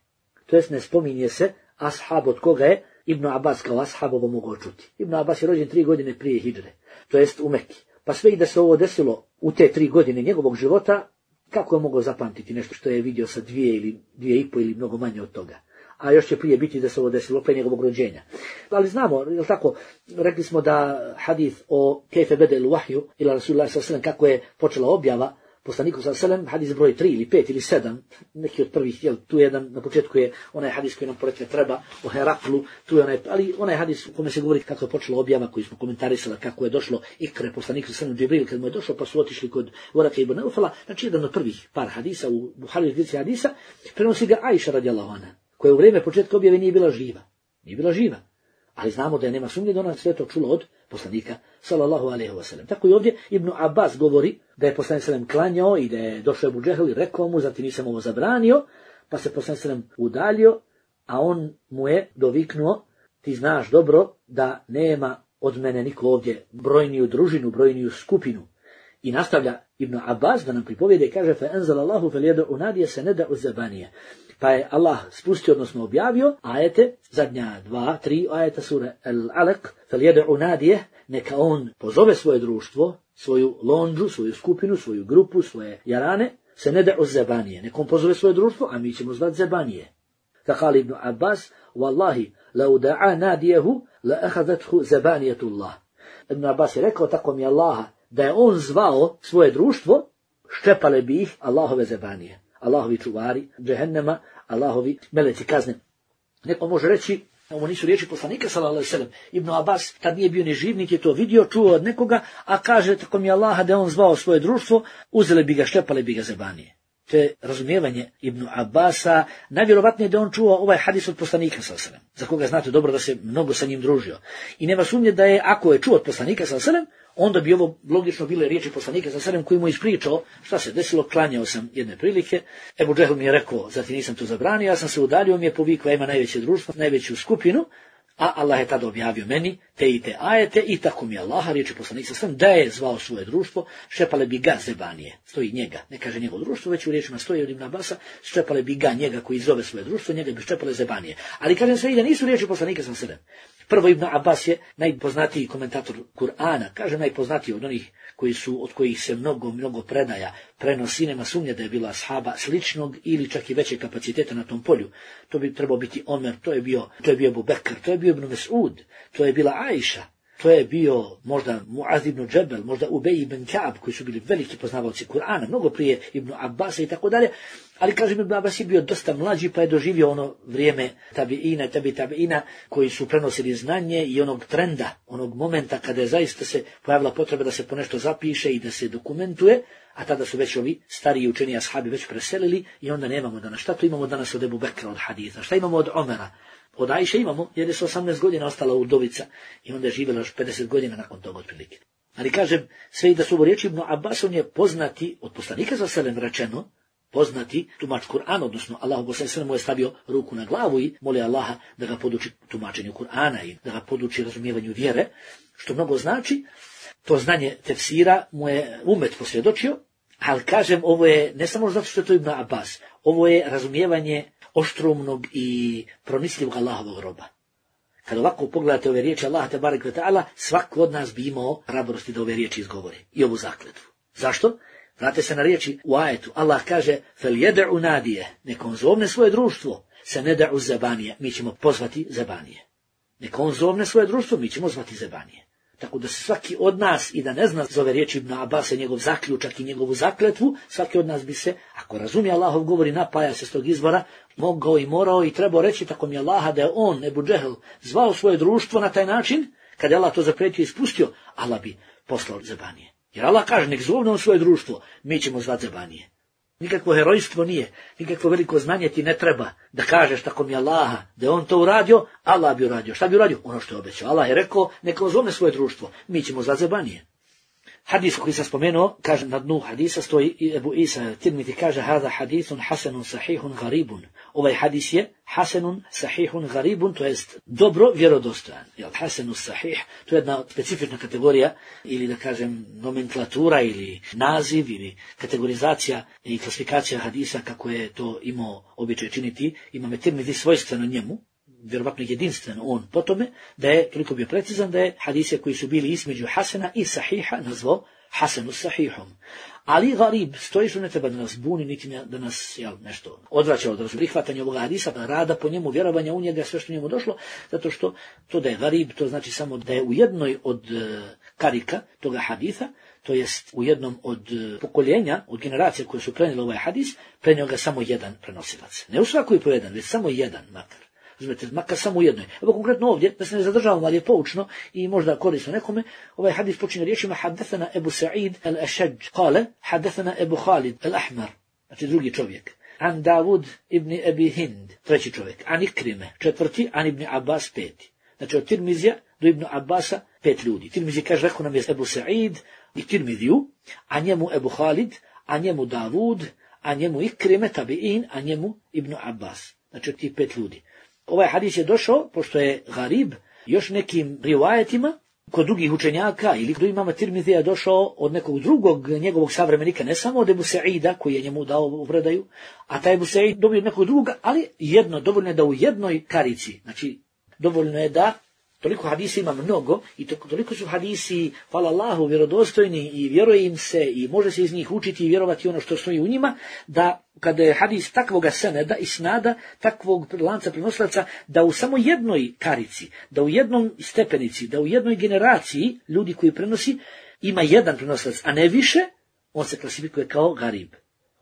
S2: To jest ne spominje se ashab od koga je Ibn Abbas kao ashab ovo mogao čuti. Ibn Abbas je rođen tri godine prije hidžre, to jest u Mekki. Pa sve i da se ovo desilo u te tri godine njegovog života, kako je mogao zapamtiti nešto što je vidio sa dvije ili dvije i po ili mnogo manje od toga? A još će prije biti da se ovo desilo pre njegovog rođenja. Ali znamo, je tako, rekli smo da hadith o kejfe bedel wahju ila Rasulullah sallallahu alejhi ve sellem, kako je počela objava poslaniku sallallahu alejhi ve sellem, hadis broj tri ili pet ili sedam, neki od prvih, jel, tu jedan, na početku je onaj hadis koji nam porekne treba o Heraklu, tu je onaj, ali onaj hadis u kome se govori kako je počela objava, koji smo komentarisali, kako je došlo ikre poslaniku sallallahu alejhi ve sellem Džibril, kad mu je došlo, pa su otišli kod Voraka ibn Naufala, znači jedan od prvih par hadisa u Buhari zbirci hadisa, prenosi ga Ajša radijallahu anha, koja u vrijeme početka objave nije bila živa. Nije bila živa. Ali znamo da je nema sumnje da ona sve to čula od poslanika sallallahu alejhi ve sellem. Tako i ovdje Ibn Abbas govori da je poslanik sallallahu klanjao i da je došao Ebu Džehl i rekao mu, zar ti nisam ovo zabranio, pa se poslanik sallallahu udalio, a on mu je doviknuo, ti znaš dobro da nema od mene niko ovdje brojniju družinu, brojniju skupinu. I nastavlja Ibn Abbas da nam pripovijede i kaže, fa enzalallahu fel yad'u nadije se ne da uzabanije. Pa je Allah spustio, odnosno objavio ajete, zadnja dva, tri ajeta sure El Alak, fel yad'u nadije, neka on pozove svoje društvo, svoju londžu, svoju skupinu, svoju grupu, svoje jarane, se ne da uzabanije. Neka on pozove svoje društvo, a mi ćemo zvati zabanije. Fakali Ibn Abbas, wallahi, la uda'a nadijehu, la ahadathu zabanijetullah. Ibn Abbas je rekao, tako mi Allaha, da je on zvao svoje društvo, ščepale bi ih Allahove zabanije. Allahovi čuvari džehennema, Allahovi meleci kazne. Neko može reći, ovo nisu riječi poslanika sallallahu alejhi ve sellem. Ibn Abbas tad nije bio ni živ, niti je to vidio, čuo od nekoga, a kaže tako mi Allaha da je on zvao svoje društvo, uzeli bi ga, šlepali bi ga zebanije. To je razumijevanje Ibn Abbasa, najvjerovatnije da on čuo ovaj hadis od poslanika sallallahu alejhi ve sellem, za koga znate dobro da se mnogo sa njim družio. I nema sumnje da je, ako je čuo od poslanika sallallahu alejhi ve sellem, onda bi ovo logično bile riječi poslanika sallallahu alejhi ve sellem koji mu ispričao šta se desilo. Klanjao sam jedne prilike, Ebu Džehl mi je rekao, zatim nisam to zabranio, ja sam se udalio, mi je povikao, ima najveće društvo, najveću skupinu, a Allah je tada objavio meni te i te ajete i tako mi je Allaha, riječi poslanik sallallahu alejhi ve sellem, da je zvao svoje društvo, šepale bi ga zebanije. Stoji njega, ne kaže njegovo društvo, već u riječima stoji od Ibn Abasa, šepale bi ga njega koji zove svoje društvo, njega bi šepale zebanije. Ali kažem sve i da nisu riječi poslanika sallallahu alejhi ve sellem. Prvo, Ibn Abbas je najpoznatiji komentator Kur'ana, kaže najpoznatiji od onih koji su, od kojih se mnogo, mnogo predaja prenosi, nema sumnje da je bila ashaba sličnog ili čak i većeg kapaciteta na tom polju. To bi trebao biti Omer, to je bio, to je bio Abu Bekr, to je bio Ibn Mes'ud, to je bila Ajša, to je bio možda Muaz ibn Džebel, možda Ubej ibn Ka'ab, koji su bili veliki poznavalci Kur'ana, mnogo prije Ibn Abbasa i tako dalje. Ali kažem, Ibn Abbas je bio dosta mlađi, pa je doživio ono vrijeme tabiina, tabi tabiina, koji su prenosili znanje i onog trenda, onog momenta kada je zaista se pojavila potreba da se ponešto zapiše i da se dokumentuje, a tada su već ovi stariji učeni ashabi već preselili i onda nemamo danas. Šta to imamo danas od Ebu Bekra, od haditha? Šta imamo od Omera? Od Ajše imamo, jer je s osamnaest godina ostala udovica i onda je živjela još pedeset godina nakon toga otprilike. Ali kažem, sve i da su ovo riječi Ibn Abbas, on je poznati, od poslanika sallallahu alejhi ve sellem rečeno, poznati tumač Kur'ana, odnosno Allah poslanik sallallahu mu je stavio ruku na glavu i moli Allaha da ga poduči tumačenju Kur'ana i da ga poduči razumijevanju vjere, što mnogo znači. To znanje tefsira mu je umet posvjedočio, ali kažem, ovo je ne samo zato što je to Ibn Abbas, ovo je razumijevanje oštrumnog i pronisljivog Allahovog roba. Kad ovako pogledate ove riječi Allaha tebarek ve ta'ala, svako od nas bi imao hrabrosti da ove riječi izgovori i ovu zakletvu. Zašto? Vrate se na riječi u ajetu. Allah kaže, fel jed'u nadije, nek on zovne svoje društvo, se ne da'u zebanije, mi ćemo pozvati zebanije. Nek on zovne svoje društvo, mi ćemo zvati zebanije. Tako da se svaki od nas, i da ne zna zove riječi Ibn Abasa, njegov zaključak i njegovu zakletvu, svaki od nas bi se, ako razumije Allahov govor i napaja se s tog izvora, mogao i morao i trebao reći tako mi Allaha da je on, Ebu Džehl, zvao svoje društvo na taj način, kad je Allah to zapretio i ispustio, Allah bi poslao zebanije. Jer Allah kaže, nek zovne on svoje društvo, mi ćemo zvati zebanije. Nikakvo herojstvo nije, nikakvo veliko znanje ti ne treba da kažeš tako mi Allaha, da je on to uradio, Allah bi uradio. Šta bi uradio? Ono što je obećao. Allah je rekao, neka zovne svoje društvo, mi ćemo zvati zebanije. Hadis koji sam spomenuo, kaže na dnu hadisa stoji i Ebu Isa Tirmiti kaže, hada hadisun hasanun sahihun garibun. Ovaj hadis je hasanun sahihun garibun, to jest dobro vjerodostojan. Jel, hasanun sahih, to je jedna specifična kategorija, ili da kažem nomenklatura, ili naziv, ili kategorizacija i klasifikacija hadisa, kako je to imao običaj činiti. Imame Tirmiti svojstveno njemu, vjerovatno jedinstveno on po tome, da je toliko bio precizan da je hadise koji su bili između hasena i sahiha nazvao hasenu sahihom. Ali garib, stoji što ne treba da nas buni, niti da nas jel, nešto odvraća od prihvatanja ovoga hadisa, rada po njemu, vjerovanja u njega, sve što njemu došlo, zato što to da je garib, to znači samo da je u jednoj od karika toga haditha, to jest u jednom od pokoljenja, od generacija koje su prenijeli ovaj hadis, prenio ga samo jedan prenosilac. Ne u svakoj po jedan, već samo jedan makar. Razumete, makar samo u jednoj. Evo konkretno ovdje, da se ne zadržavamo, ali je poučno i možda korisno nekome, ovaj hadis počinje riječima Haddathana Ebu Sa'id al-Ashaj, kale, Haddathana Ebu Khalid al-Ahmar, znači drugi čovjek. An Davud ibn Abi Hind, treći čovjek. An Ikrime, četvrti, an ibn Abbas, peti. Znači od Tirmizija do Ibn Abbasa, pet ljudi. Tirmizi kaže, rekao nam je Ebu Sa'id i Tirmiziju, a njemu Ebu Khalid, a njemu Davud, a njemu Ikrime, tabi'in, a njemu Ibn Abbas. Znači od tih pet ljudi. Ovaj hadis je došao, pošto je garib, još nekim rivajetima, kod drugih učenjaka ili kod imama Tirmizija je došao od nekog drugog njegovog savremenika, ne samo od Ebu Sa'ida, koji je njemu dao u predaju, a taj Ebu Sa'id dobio od nekog druga, ali jedno, dovoljno je da u jednoj karici, znači dovoljno je da, toliko hadisa ima mnogo i to, toliko su hadisi, hvala Allahu, vjerodostojni i vjeruje im se i može se iz njih učiti i vjerovati ono što stoji u njima, da kada je hadis takvoga seneda i snada, takvog lanca prenosilaca, da u samo jednoj karici, da u jednom stepenici, da u jednoj generaciji ljudi koji prenosi ima jedan prenosilac, a ne više, on se klasifikuje kao garib.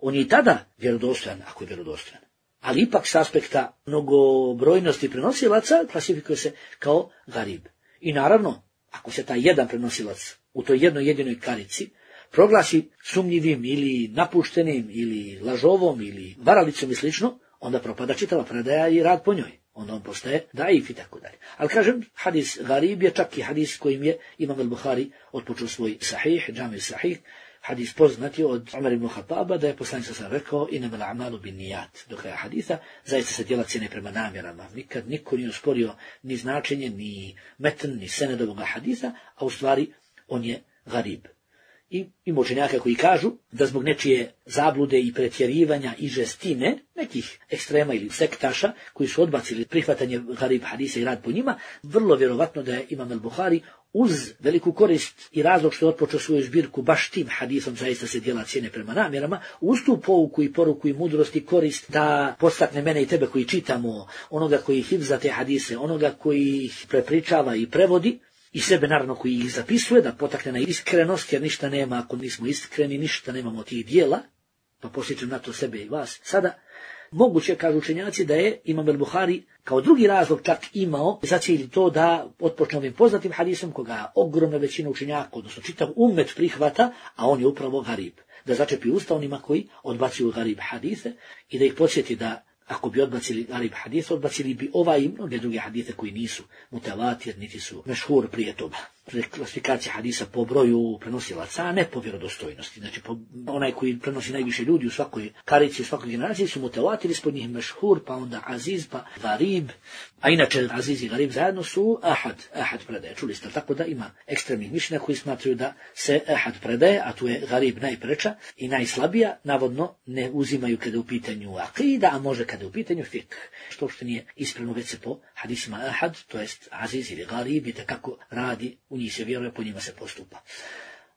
S2: On je i tada vjerodostojan, ako je vjerodostojan. Ali ipak s aspekta mnogobrojnosti prenosilaca klasifikuje se kao garib. I naravno, ako se taj jedan prenosilac u toj jednoj jedinoj karici proglasi sumnjivim ili napuštenim ili lažovom ili varalicom i slično, onda propada čitava predaja i rad po njoj. Onda on postaje daif i tako dalje. Ali kažem, hadis garib je čak i hadis kojim je Imam al-Buhari otpočeo svoj sahih, džami sahih, hadis poznati od Umar ibn Khattaba da je poslanik sa rekao innamal a'malu binnijat. Do kraja hadisa zaista se djela cijene prema namjerama. Nikad niko nije usporio ni značenje, ni metn, ni sened ovoga hadisa, a u stvari on je garib. I ima učenjaka koji kažu da zbog nečije zablude i pretjerivanja i žestine nekih ekstrema ili sektaša koji su odbacili prihvatanje garib hadisa i rad po njima, vrlo vjerovatno da je Imam al-Buhari uz veliku korist i razlog što je otpočeo svoju zbirku baš tim hadisom zaista se djela cijene prema namjerama, uz tu pouku i poruku i mudrost i korist da podstakne mene i tebe koji čitamo, onoga koji hifza te hadise, onoga koji ih prepričava i prevodi, i sebe naravno koji ih zapisuje, da potakne na iskrenost, jer ništa nema ako nismo iskreni, ništa nemamo tih dijela, pa posjećam na to sebe i vas. Sada, moguće, kažu učenjaci, da je Imam al-Buhari kao drugi razlog čak imao za cilj to da otpočne ovim poznatim hadisom, koga ogromna većina učenjaka, odnosno čitav ummet prihvata, a on je upravo garib. Da začepi usta onima koji odbacuju garib hadise i da ih podsjeti da ako bi odbacili garib hadis, odbacili bi ovaj i mnoge druge hadise koji nisu mutavatir, niti su mešhur prije toga. Klasifikacija hadisa po broju prenosilaca, a ne po vjerodostojnosti. Znači, po, onaj koji prenosi najviše ljudi u svakoj karici, u svakoj generaciji su mutavatir, ispod njih mešhur, pa onda aziz, pa garib. A inače, aziz i garib zajedno su ahad, ahad predaje. Čuli ste, tako da ima ekstremnih mišljenja koji smatraju da se ahad predaje, a tu je garib najpreča i najslabija, navodno ne uzimaju kada u pitanju akida, a može kada u pitanju fikh. Što što nije ispravno već se po hadisima ahad, to jest aziz ili garib, i kako radi, u njih se vjeruje, po njima se postupa.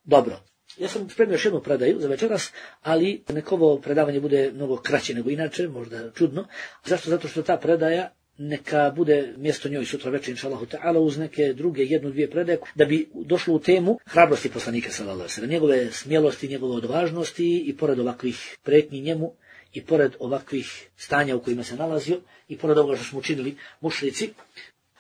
S2: Dobro, ja sam spremio još jednu predaju za večeras, ali neko ovo predavanje bude mnogo kraće nego inače, možda čudno. Zašto? Zato što ta predaja neka bude mjesto njoj sutra večer, inšallahu ta'ala, uz neke druge, jednu, dvije predaje, da bi došlo u temu hrabrosti poslanika, sallallahu alejhi ve sellem, njegove smjelosti, njegove odvažnosti i pored ovakvih pretnji njemu, i pored ovakvih stanja u kojima se nalazio, i pored ovoga što smo učinili mušrici.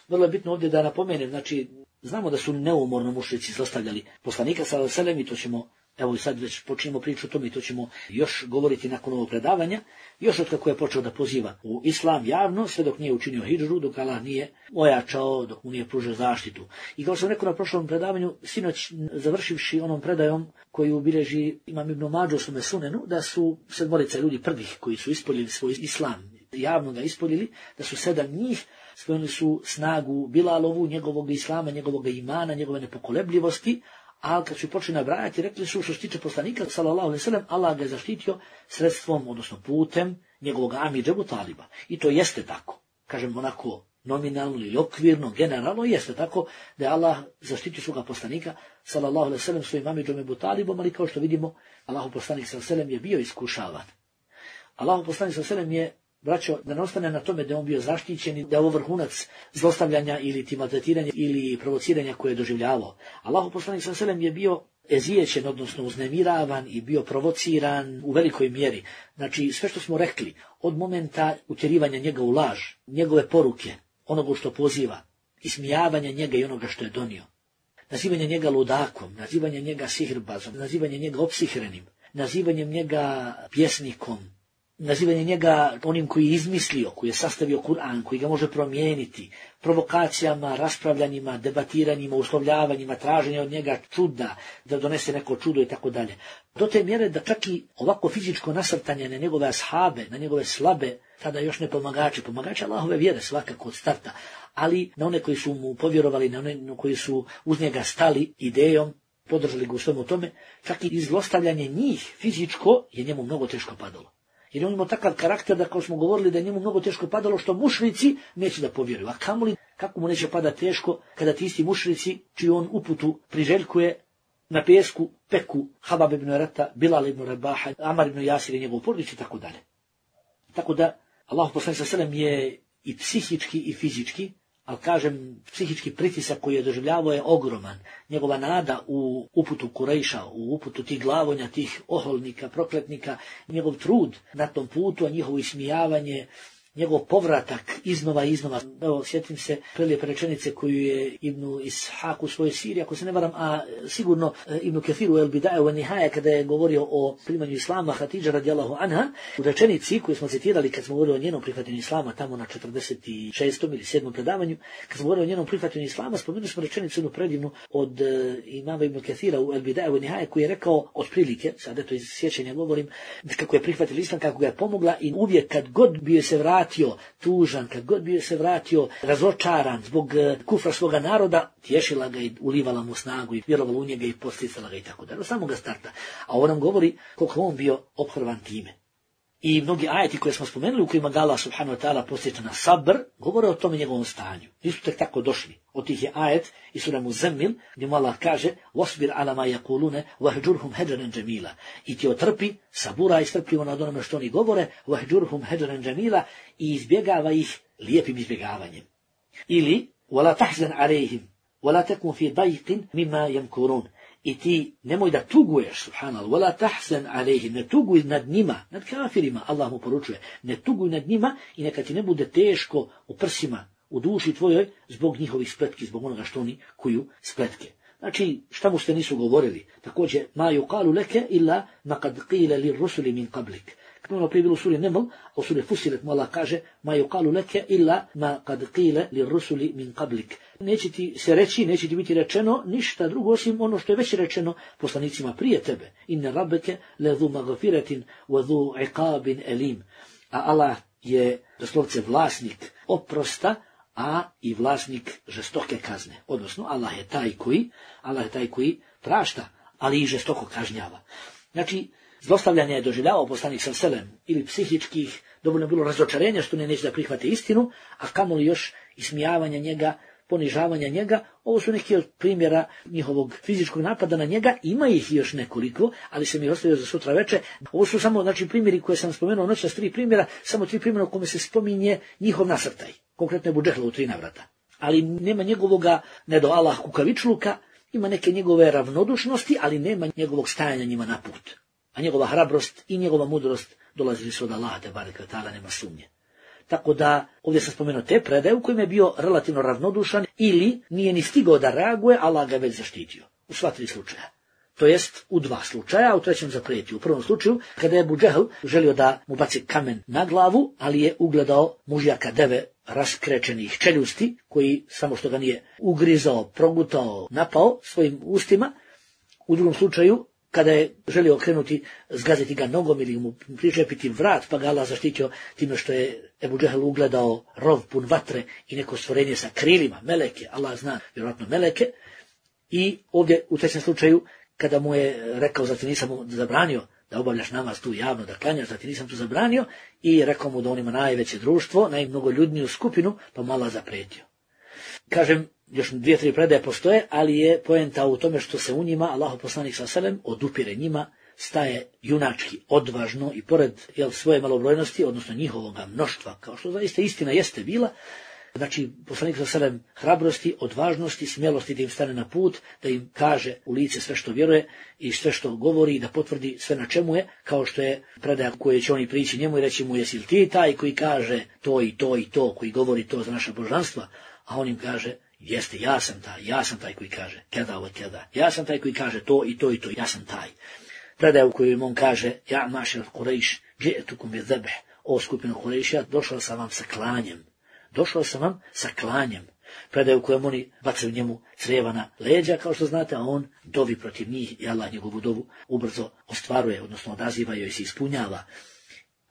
S2: Vrlo je bitno ovdje da napomenem, znači, znamo da su neumorno mušrici zlostavljali poslanika, sallallahu alejhi ve sellem, i to ćemo, evo i sad već počinjemo priču o tome, i to ćemo još govoriti nakon ovog predavanja, još od kako je počeo da poziva u islam javno, sve dok nije učinio hidžru, dok Allah nije ojačao, dok mu nije pružio zaštitu. I kao što sam rekao na prošlom predavanju, sinoć završivši onom predajom koju bilježi Imam Ibn Mađo u svome sunenu, da su sedmorica ljudi prvih koji su ispoljili svoj islam, javno ga ispoljili, da su sedam njih spojili su snagu Bilalovu, njegovog islama, njegovog imana, njegove nepokolebljivosti, ali kad su počeli nabrajati, rekli su što se tiče poslanika, sallallahu alejhi ve sellem, Allah ga je zaštitio sredstvom, odnosno putem njegovog amidže Ebu Taliba. I to jeste tako. Kažem onako nominalno ili okvirno, generalno jeste tako da je Allah zaštitio svoga poslanika, sallallahu alejhi ve sellem, svojim amidžom Ebu Talibom, ali kao što vidimo, Allahu poslanik sallallahu alejhi ve sellem je bio iskušavan. Allahu poslanik sallallahu alejhi ve sellem je, braćo, da ne ostane na tome da on bio zaštićen i da je ovo vrhunac zlostavljanja ili maltretiranja ili provociranja koje je doživljavao. Allahu poslanik sallallahu alejhi ve sellem je bio ezijećen, odnosno uznemiravan i bio provociran u velikoj mjeri. Znači, sve što smo rekli, od momenta utjerivanja njega u laž, njegove poruke, onoga što poziva, ismijavanja njega i onoga što je donio, nazivanje njega ludakom, nazivanje njega sihrbazom, nazivanje njega opsihrenim, nazivanjem njega pjesnikom, nazivanje njega onim koji je izmislio, koji je sastavio Kur'an, koji ga može promijeniti, provokacijama, raspravljanjima, debatiranjima, uslovljavanjima, traženja od njega čuda, da donese neko čudo i tako dalje. Do te mjere da čak i ovako fizičko nasrtanje na njegove ashabe, na njegove slabe, tada još ne pomagači, pomagači Allahove vjere svakako od starta, ali na one koji su mu povjerovali, na one koji su uz njega stali idejom, podržali ga u svemu tome, čak i zlostavljanje njih fizičko je njemu mnogo teško padalo. Jer on imao takav karakter da, kao smo govorili, da je njemu mnogo teško padalo što mušrici neće da povjeruju. A kamoli, kako mu neće pada teško kada ti isti mušrici, čiju on uputu priželjkuje, na pesku peku Habab ibn Rata, Bilal ibn Rabaha, Amar ibn Jasir i njegov porodić i tako dalje. Tako da, Allah poslanik sallallahu alejhi ve sellem je i psihički i fizički, ali kažem, psihički pritisak koji je doživljavao je ogroman. Njegova nada u uputu Kurejša, u uputu tih glavonja, tih oholnika, prokletnika, njegov trud na tom putu, a njihovo ismijavanje, njegov povratak iznova i iznova. Evo, sjetim se prelijepe rečenice koju je Ibnu Ishak u svojoj siri, ako se ne varam, a sigurno Ibnu Kethiru El Bidaje u Nihaje, kada je govorio o primanju Islama Hatidža radijallahu anha, u rečenici koju smo citirali kad smo govorili o njenom prihvatanju Islama, tamo na četrdeset šestom ili sedmom predavanju, kad smo govorili o njenom prihvatanju Islama, spomenuli smo rečenicu jednu predivnu od uh, imama Ibnu Kethira u El Bidaje u Nihaje, koji je rekao otprilike, sad eto iz sjećanja govorim, kako je prihvatio Islam, kako ga je pomogla i uvijek kad god bio se vratio tužan, kad god bio se vratio razočaran zbog kufra svoga naroda, tješila ga i ulivala mu snagu i vjerovala u njega i posticala ga i tako dalje. Od samoga starta. A ovo nam govori koliko on bio ophrvan time. I mnogi ajeti koje smo spomenuli u kojima ga Allah subhanahu wa ta'ala posjeća na sabr, govore o tome njegovom stanju. Nisu tek tako došli. Od tih je ajet i sura Muzammil, gdje mu Allah kaže وَصْبِرْ عَلَى مَا يَقُولُونَ وَهْجُرْهُمْ هَجْرًا جَمِيلًا. I ti otrpi, sabura i strpljivo nad onome što oni govore, وَهْجُرْهُمْ هَجْرًا جَمِيلًا, i izbjegava ih lijepim izbjegavanjem. Ili وَلَا تَحْزَنْ عَلَيْهِمْ وَلَا تَكُنْ فِي ضَيْقٍ مِمَّا يَمْكُرُونَ. I ti nemoj da tuguješ, subhanallah, wala tahzan alejhim, ne tuguj nad njima, nad kafirima, Allah mu poručuje, ne tuguj nad njima i neka ti ne bude teško u prsima, u duši tvojoj, zbog njihovih spletki, zbog onoga što oni kuju spletke. Znači, šta mu ste nisu govorili? Također, ma yuqalu leke illa ma kad qila lir rusuli min qablik. Kako ono prije bilo u suri Neml, a u suri Fusilet mu Allah kaže, ma yuqalu leke illa ma kad qila lir rusuli min qablik. Neće ti se reći, neće ti biti rečeno ništa drugo osim ono što je već rečeno poslanicima prije tebe. Inna rabbeke lezu magfiratin wa zu iqabin elim. A Allah je doslovce vlasnik oprosta, a i vlasnik žestoke kazne. Odnosno, Allah je taj koji, Allah je taj koji prašta, ali i žestoko kažnjava. Znači, zlostavljanje je doživljavao poslanik sa selem ili psihičkih, dovoljno bilo razočarenja što ne neće da prihvate istinu, a kamoli još ismijavanja njega, ponižavanja njega. Ovo su neki od primjera njihovog fizičkog napada na njega, ima ih još nekoliko, ali se mi ostavio za sutra veče. Ovo su samo, znači, primjeri koje sam spomenuo noćas, tri primjera, samo tri primjera u kome se spominje njihov nasrtaj. Konkretno je Ebu Džehla u tri navrata. Ali nema njegovoga, ne do Allah kukavičluka, ima neke njegove ravnodušnosti, ali nema njegovog stajanja njima na put. A njegova hrabrost i njegova mudrost dolazili su od Allaha te bareke ve taala, nema sumnje. Tako da, ovdje sam spomenuo te predaje u kojima je bio relativno ravnodušan ili nije ni stigao da reaguje, Allah ga već zaštitio. U sva tri slučaja. To jest u dva slučaja, a u trećem zaprijetio. U prvom slučaju, kada je Ebu Džehl želio da mu baci kamen na glavu, ali je ugledao mužjaka deve raskrečenih čeljusti, koji samo što ga nije ugrizao, progutao, napao svojim ustima. U drugom slučaju, kada je želio okrenuti, zgaziti ga nogom ili mu pričepiti vrat, pa ga Allah zaštitio time što je Ebu Džehl ugledao rov pun vatre i neko stvorenje sa krilima, meleke, Allah zna, vjerojatno meleke. I ovdje u trećem slučaju, kada mu je rekao, zar ti nisam mu zabranio da obavljaš namaz tu javno, da klanjaš, zar ti nisam tu zabranio, i rekao mu da on ima najveće društvo, najmnogoljudniju skupinu, pa mu Allah zapretio. Kažem, još dvije, tri predaje postoje, ali je poenta u tome što se u njima Allahov poslanik sallallahu alejhi ve sellem odupire njima, staje junački, odvažno i pored jel, svoje malobrojnosti, odnosno njihovoga mnoštva, kao što zaista istina jeste bila, znači poslanik sallallahu alejhi ve sellem hrabrosti, odvažnosti, smjelosti da im stane na put, da im kaže u lice sve što vjeruje i sve što govori, da potvrdi sve na čemu je, kao što je predaja koje će oni prići njemu i reći mu jesi li ti taj koji kaže to i to i to, koji govori to za naša božanstva, a on im kaže jeste, ja sam taj, ja sam taj koji kaže kada ovo kada, ja sam taj koji kaže to i to i to, ja sam taj. Predaja u kojoj on kaže ja mašel Kurejš, dže'tukum bi zebh, o skupinu Kurejša, došao sam vam sa klanjem. Došao sam vam sa klanjem. Predaje u kojem oni bacaju njemu crijeva na leđa, kao što znate, a on dovi protiv njih i Allah njegovu dovu ubrzo ostvaruje, odnosno odaziva joj se ispunjava.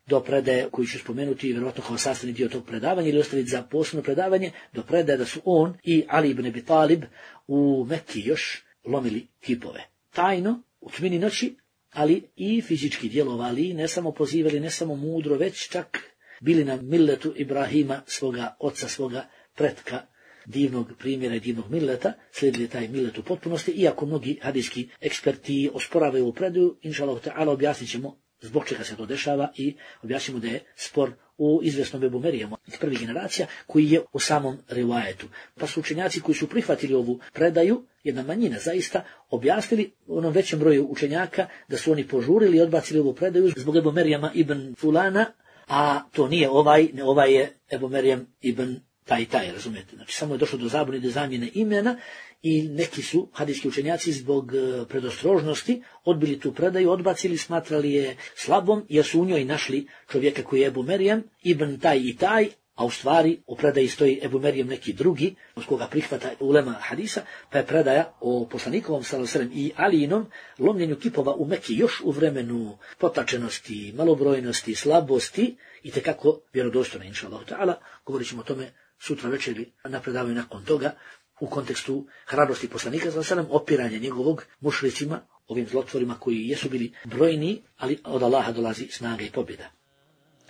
S2: Do predaje koju ću spomenuti, vjerojatno kao sastavni dio tog predavanja ili ostaviti za posebno predavanje, do predaje da su on i Ali ibn Abi Talib u Mekki još lomili kipove. Tajno, u tmini noći, ali i fizički djelovali, ne samo pozivali, ne samo mudro, već čak bili na milletu Ibrahima, svoga oca, svoga pretka, divnog primjera i divnog milleta, slijedili taj millet u potpunosti, iako mnogi hadijski eksperti osporavaju u predaju, inša Allah ta'ala objasnit ćemo zbog čega se to dešava i objasnimo da je spor u izvjesnom Ebu Merijamu iz prvih generacija koji je u samom rivajetu. Pa su učenjaci koji su prihvatili ovu predaju, jedna manjina zaista, objasnili onom većem broju učenjaka da su oni požurili i odbacili ovu predaju zbog Ebu Merijama ibn Fulana, a to nije ovaj, ne ovaj je Ebu Merijam ibn taj i taj, razumijete. Znači samo je došlo do zabune, do zamjene imena i neki su hadijski učenjaci zbog predostrožnosti odbili tu predaju, odbacili, smatrali je slabom jer su u njoj našli čovjeka koji je Ebu Merijam ibn taj i taj, a u stvari u predaji stoji Ebu Merijem neki drugi, od koga prihvata ulema hadisa, pa je predaja o poslanikovom sallallahu alejhi ve sellem i Alijinom lomljenju kipova u Meki još u vremenu potlačenosti, malobrojnosti, slabosti i tekako vjerodostojna, inšallahu ta'ala. Govorit ćemo o tome sutra večeri na predavanju nakon toga u kontekstu hrabrosti poslanika sallallahu alejhi ve sellem, opiranja njegovog mušricima, ovim zlotvorima koji jesu bili brojni, ali od Allaha dolazi snaga i pobjeda.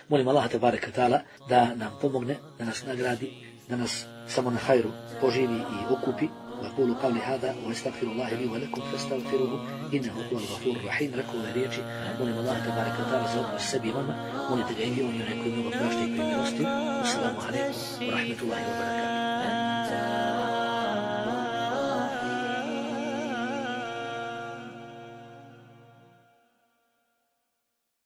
S2: Molim Allaha tebareka ta'ala da nam pomogne, da nas nagradi, da nas samo na hajru poživi i okupi. وأقول قولي هذا وأستغفر الله لي ولكم فاستغفروه إنه هو الغفور الرحيم. Rekao ove riječi, molim Allaha tebareka ta'ala za oprost sebi i vama, molite ga i vi, on je onaj koji mnogo prašta i koji milosti. Assalamu alaikum wa rahmatullahi wa barakatuh.